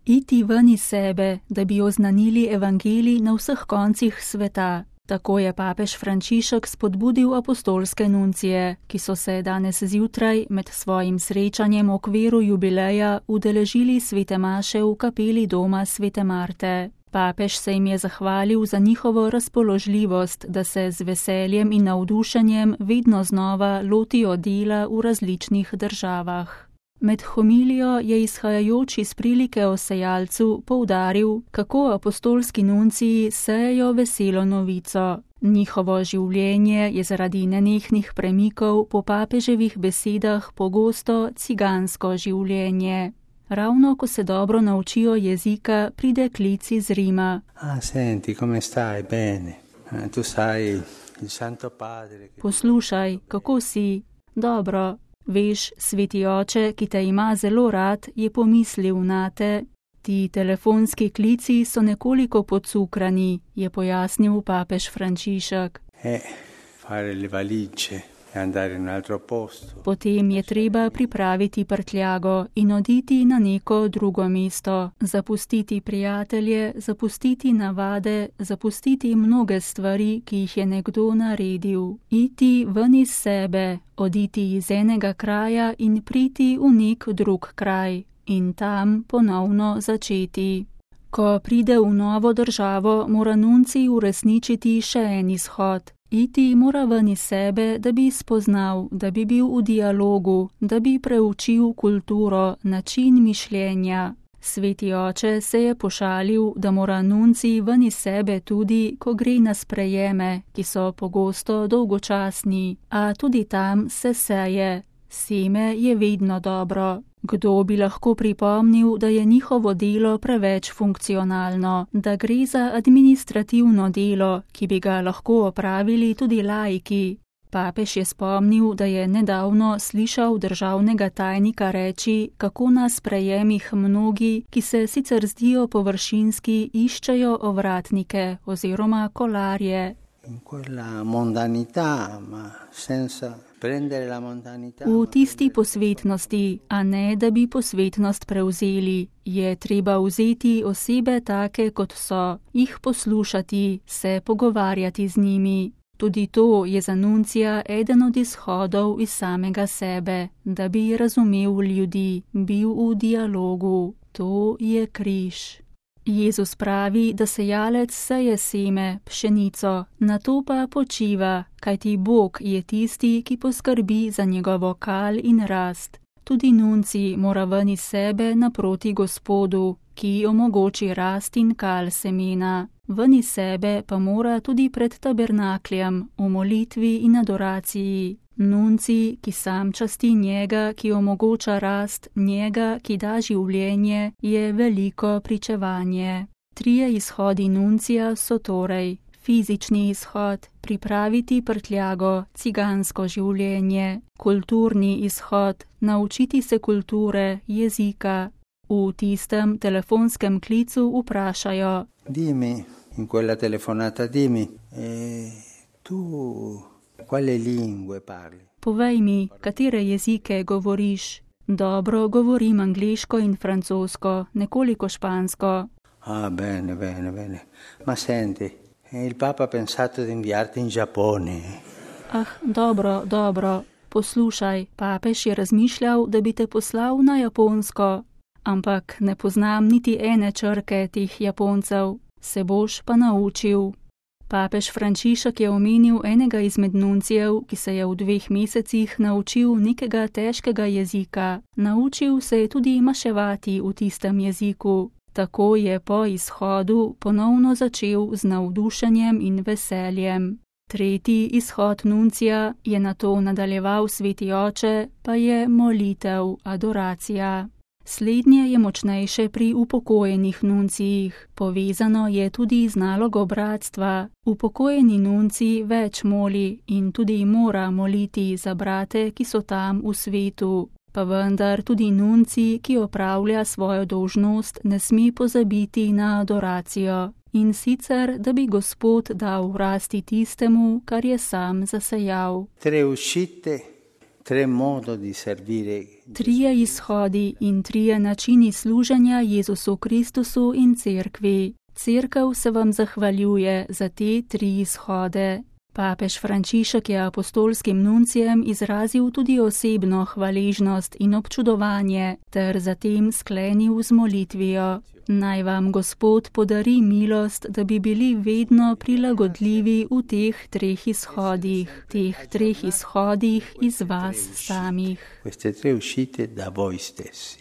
iti ven iz sebe, da bi oznanili evangelij na vseh koncih sveta. Tako je papež Frančišek spodbudil apostolske nuncije, ki so se danes zjutraj med svojim srečanjem v okviru jubileja udeležili svete maše v kapeli doma svete Marte. Papež se jim je zahvalil za njihovo razpoložljivost, da se z veseljem in navdušenjem vedno znova lotijo dela v različnih državah. Med homilijo je izhajajoč iz prilike o sejalcu poudaril, kako apostolski nunciji sejejo veselo novico. Njihovo življenje je zaradi nenehnih premikov po papeževih besedah pogosto cigansko življenje. Ravno ko se dobro naučijo jezika, pride klic iz Rima. Senti, come stai? Bene. Tu sai, il Santo Padre. Poslušaj, kako si? Dobro. Veš, sveti oče, ki te ima zelo rad, je pomislil nate. Ti telefonski klici so nekoliko podcukrani, je pojasnil papež Frančišek. Fare le valigie e andare in un altro posto. Potem je treba pripraviti prtljago in oditi na neko drugo mesto, zapustiti prijatelje, zapustiti navade, zapustiti mnoge stvari, ki jih je nekdo naredil. Iti ven iz sebe, oditi iz enega kraja in priti v nek drug kraj in tam ponovno začeti. Ko pride v novo državo, mora nuncij uresničiti še en izhod. Iti mora ven iz sebe, da bi spoznal, da bi bil v dialogu, da bi preučil kulturo, način mišljenja. Sveti oče se je pošalil, da mora nuncij ven iz sebe tudi, ko gre na sprejeme, ki so pogosto dolgočasni, a tudi tam se seje. Seme je vedno dobro. Kdo bi lahko pripomnil, da je njihovo delo preveč funkcionalno, da gre za administrativno delo, ki bi ga lahko opravili tudi laiki. Papež je spomnil, da je nedavno slišal državnega tajnika reči, kako na sprejemih mnogi, ki se sicer zdijo površinski, iščejo ovratnike oziroma kolarje. V tisti posvetnosti, a ne da bi posvetnost prevzeli, je treba vzeti osebe take, kot so, jih poslušati, se pogovarjati z njimi. Tudi to je za nuncija eden od izhodov iz samega sebe, da bi razumel ljudi, bil v dialogu. To je križ. Jezus pravi, da sejalec seje seme, pšenico, nato pa počiva, kajti Bog je tisti, ki poskrbi za njegovo kal in rast. Tudi nuncij mora ven iz sebe naproti Gospodu, ki omogoči rast in kal semena. Ven iz sebe pa mora tudi pred tabernakljem, v molitvi in adoraciji. Nuncij, ki sam časti njega, ki omogoča rast, njega, ki da življenje, je veliko pričevanje. 3 izhodi nuncija so torej: fizični izhod, pripraviti prtljago, cigansko življenje; kulturni izhod, naučiti se kulture, jezika. V tistem telefonskem klicu vprašajo: Dimmi, in quella telefonata dimmi, tu quale lingue parli? Povej mi, katere jezike govoriš? Dobro, govorim angleško in francosko, nekoliko špansko. Bene. Ma senti, il Papa ha pensato di inviarti in Giappone. Dobro. Poslušaj, papež je razmišljal, da bi te poslal na Japonsko. Ampak ne poznam niti ene črke teh Japoncev. Se boš pa naučil. Papež Frančišek je omenil enega izmed nuncijev, ki se je v 2 mesecih naučil nekega težkega jezika. Naučil se je tudi maševati v tistem jeziku. Tako je po izhodu ponovno začel z navdušenjem in veseljem. 3. izhod nuncija, je nato nadaljeval sveti oče, pa je molitev, adoracija. Slednje je močnejše pri upokojenih nuncijih. Povezano je tudi z nalogo bratstva. Upokojeni nuncij več moli in tudi mora moliti za brate, ki so tam v svetu. Pa vendar tudi nuncij, ki opravlja svojo dolžnost, ne sme pozabiti na adoracijo. In sicer, da bi Gospod dal rasti tistemu, kar je sam zasejal. 3 uscite 3 modi di servire. 3 izhodi in 3 načini služenja Jezusu Kristusu in cerkvi. Cerkev se vam zahvaljuje za te 3 izhode. Papež Frančišek je apostolskim nuncijem izrazil tudi osebno hvaležnost in občudovanje ter zatem sklenil z molitvijo. Naj vam Gospod podari milost, da bi bili vedno prilagodljivi v teh 3 izhodih iz vas samih. Queste 3 uscite da voi stessi.